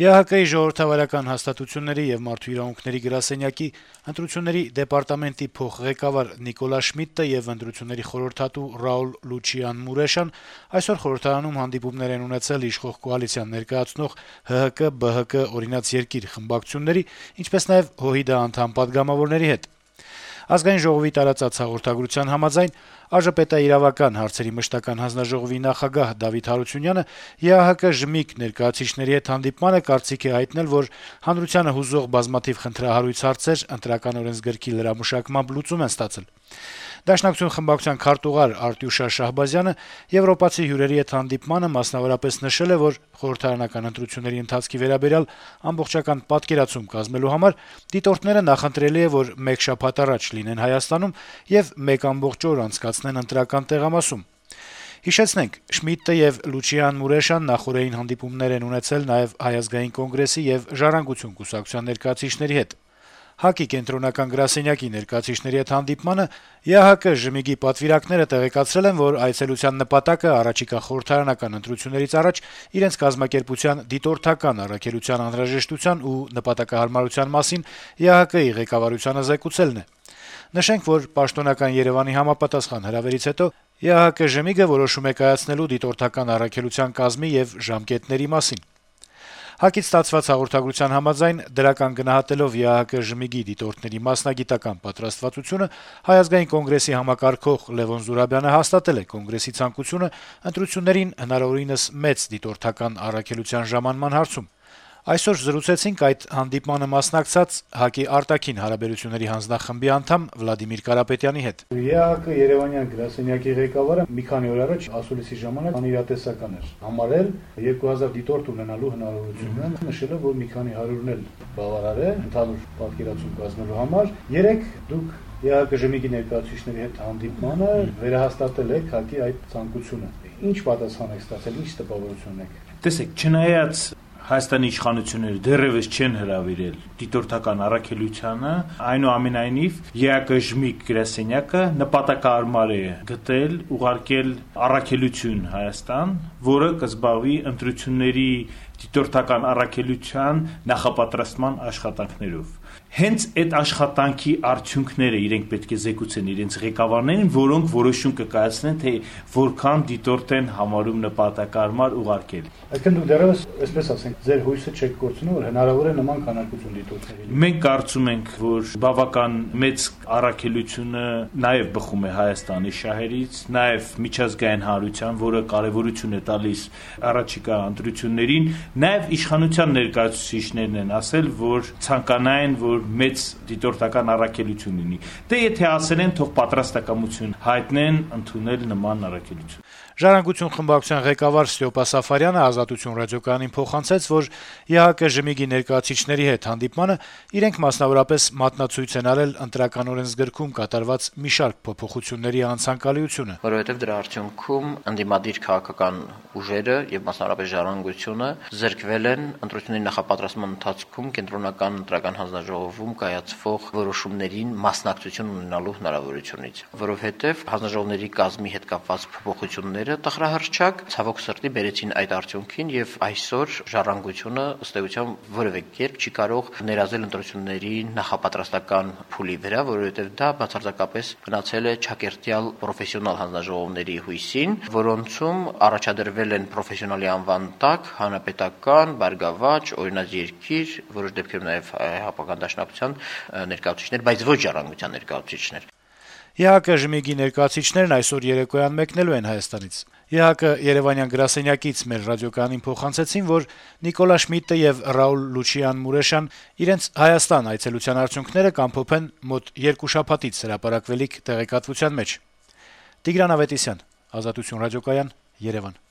ԵԱՀԿ-ի ժողովրդավարական հաստատությունների եւ մարդու իրավունքների գրասենյակի ընտրությունների դեպարտամենտի փոխղեկավար Նիկոլա Շմիդտը եւ ընտրությունների խորհրդատու Ռաուլ Լուչիան Մուրեշան այսօր խորհրդարանում հանդիպումներ են ունեցել իշխող կոալիցիան ներկայացնող ՀՀԿ, ԲՀԿ, Օրինաց երկիր խմբակցությունների, ինչպես նաեւ ՀՅԴ անդամ պատգամավորների հետ։ Ազգային ժողովի տարածած հաղորդագրության համաձայն ԱԺՊՏ-իրավական հարցերի մշտական հանձնաժողովի նախագահ Դավիթ Հարությունյանը ԵԱՀԿ ԺՄԻԿ ներկայացուցիչների հետ հանդիպմանը կարծիք է հայտնել, որ հանրությանը հուզող բազմաթիվ խնդրահարույց հարցեր ընտրական օրենսգրքի լրամշակմամբ լուծում են ստացել։ Դաշնակցություն խմբակցության քարտուղար Արտյուշա Շահբազյանը եվրոպացի հյուրերի հետ հանդիպմանը մասնավորապես նշել է, որ խորհրդարանական ընտրությունների ընթացքի վերաբերյալ ամբողջական պատկերացում կազմելու համար դիտորդները նախընտրելի է, որ մեկ շաբաթ առաջ լինեն Հայաստանում եւ մեկ ամբողջ օր անցկացնեն ընտրական տեղամասում։ Հիշեցնենք, Շմիդտը եւ Լուչիան Մուրեշան նախորդային հանդիպումներ են ունեցել նաեւ Հայ ազգային կոնգրեսի եւ Ժառանգություն կուսակցության ներկայացուցիչների հետ։ ՀԱԿ-ի կենտրոնական գրասենյակի ներկայացուցիչների հետ հանդիպմանը ԵԱՀԿ ԺՄԻԳ-ի պատվիրակները տեղեկացրել են, որ այցելության նպատակը առաջիկա խորհրդարանական ընտրություններից առաջ իրենց կազմակերպության դիտորդական առաքելության անհրաժեշտության ու նպատակահարմարության մասին ԵԱՀԿ-ի ղեկավարությանը զեկուցելն է։ Նշենք, որ պաշտոնական Երեւանի համապատասխան հրավերից հետո ԵԱՀԿ ԺՄԻԳ-ը որոշում է կայացնելու դիտորդական առաքելության կազմի եւ ժամկետների մասին։ ՀԱԿ-ից ստացված հաղորդագրության համաձայն դրական գնահատելով ԵԱՀԿ ԺՄԻԳ-ի դիտորդների մասնագիտական պատրաստվածությունը Հայ ազգային կոնգրեսի համակարգող Լեւոն Զուրաբյանը հաստատել է կոնգրեսի ցանկությունը ընտրություններին հնարավորինս մեծ դիտորդական առաքելության ժամանման հարցում։ Այսօր զրուցեցինք այդ հանդիպմանը մասնակցած ՀԱԿ-ի արտաքին հարաբերությունների հանձնախմբի անդամ Վլադիմիր Կարապետյանի հետ։ ԵԱՀԿ Երևանյան գրասենյակի ղեկավարը մի քանի օր առաջ ասուլիսի ժամանակ անիրատեսական էր համարել 2000 դիտորդ ունենալու հնարավորությունը, նշելով, որ մի քանի հարյուրն էլ բավարար է ընդհանուր պատկերացում կազմելու համար։ Երեք դուք ԵԱՀԿ ԺՄԻԳ-ի ներկայացուցիչների հետ հանդիպմանը վերահաստատել եք ՀԱԿ-ի այդ ցանկությունը։ Ինչ պատասխան եք ստացել, ինչ տպավորություն եք։ Տեսեք, չնայած Հայաստանի իշխանությունները դեռևս չեն հրավիրել դիտորդական առաքելությանը, այնուամենայնիվ ԵԱՀԿ ԺՄԻԳ գրասենյակը նպատակահարմար է գտել ուղարկել առաքելություն Հայաստան, որը կզբաղվի ընտրությունների դիտորդական առաքելության նախապատրաստման աշխատանքներով։ Հենց այդ աշխատանքի արդյունքները իրենք պետք է զեկուցեն իրենց ղեկավարներին, որոնք որոշում կկայացնեն, թե որքան դիտորդ են համարում նպատակահարմար ուղարկել։ Այսինքն դուք դեռևս, այսպես ասենք, ձեր հույսը չեք կորցնում, որ հնարավոր է նման քանակություն դիտորդների։ Մենք կարծում ենք, որ բավական մեծ առաքելությունը նաև բխում է Հայաստանի շահերից, նաև միջազգային հանրության, որը կարևորություն է տալիս առաջիկա ընտրություններին, նաև իշխանության ներկայացուցիչներն են ասել, որ ցանկանային, որ մեծ դիտորդական առաքելություն լինի։ Դե եթե ասել են, թող պատրաստակամություն հայտնեն ընդունել նման առաքելություն։ Ժառանգություն խմբակցության ղեկավար Ստյոպա Սաֆարյանը Ազատություն ռադիոկայանին փոխանցեց, որ ԵԱՀԿ ԺՄԻԳ-ի ներկայացուցիչների հետ հանդիպմանը իրենք մասնավորապես մատնացույց են արել ընտրական օրենսգրքում կատարված մի շարք փոփոխությունների անցանկալիությունը, որովհետև դրա արդյունքում ընդդիմադիր քաղաքական ուժերը եւ մասնավորապես ժառանգությունը զրկվել են ընտրությունների նախապատրաստման ընթացքում կենտրոնական ընտրական հանձնաժողովում կայացվող որոշումներին մասնակցություն ունենալու հնարավորությունից, որովհետև հանձնաժողովների կազմի հետ կապված փոփոխությունները տխրահարճակ ցավոք սրտի բերեցին այդ արդյունքին եւ այսօր ժառանգությունը ըստ էության որևէ կերպ չի կարող ներազել ընտրությունների նախապատրաստական փուլի վրա, որովհետեւ դա բացարձակապես գնացել է ճակերտյալ պրոֆեսիոնալ հանձնաժողովների հույսին, որոնցում առաջադրվել են պրոֆեսիոնալի անվան տակ հանրապետական, բարգավաճ, օրինաց երկիր, որոշ դեպքերում նաեւ հապական դաշնակցության ներկայացուցիչներ, բայց ոչ ժառանգության ներկայացուցիչներ։ ԵԱՀԿ ԺՄԻԳ-ի ներկայացուցիչներն այսօր երեկոյան մեկնելու են Հայաստանից։ ԵԱՀԿ Երևանյան գրասենյակից մեր ռադիոկայանին փոխանցեցին, որ Նիկոլա Շմիդտը եւ Ռաուլ Լուչիան Մուրեշան իրենց Հայաստան այցելության արդյունքները կամփոփեն մոտ 2 շաբաթից հրապարակվելիք տեղեկատվության մեջ։ Տիգրան Ավետիսյան, Ազատություն ռադիոկայան, Երևան։